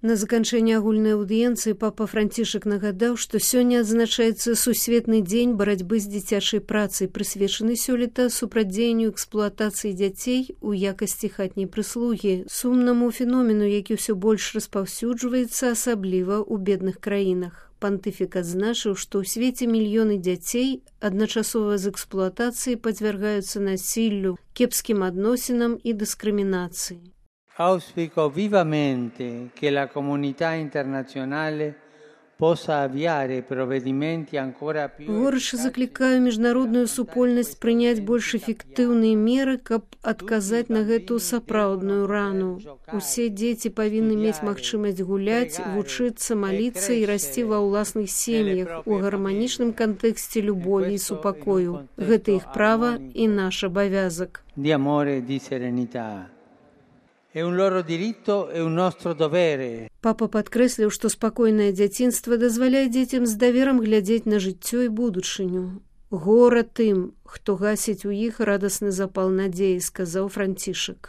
На заканчэнне агульнай аўдыенцыі папа Францішак нагадаў, што сёння адзначаецца сусветны дзень барацьбы з дзіцячай працай, прысвечаны сёлета супрацьдзеянню эксплуатацыі дзяцей у якасці хатняй прыслугі, сумнаму феномену, які ўсё больш распаўсюджваецца, асабліва ў бедных краінах. Пантыфік адзначыў, што ў свеце мільёны дзяцей адначасова з эксплуатацыяй падвяргаюцца насіллю, кепскім адносінам і дыскрымінацыі. Auspico vivamente che la comunità internazionale possa avviare provvedimenti ancora più... Горача заклікаю міжнародную супольнасць прыняць больш эфектыўныя меры, каб адказаць на гэту сапраўдную рану. Усе дзеці павінны мець магчымасць гуляць, вучыцца, маліцца і расці ва ўласных сем'ях у гарманічным кантэксце любові і супакою. Гэта іх права і наш абавязак. Di amore e di serenità. È un loro diritto e un nostro dovere. Папа падкрэсліў, што спакойнае дзяцінства дазваляе дзецям з даверам глядзець на жыццё і будучыню. Гора тым, хто гасіць у іх радасны запал надзеі, сказаў Францішак.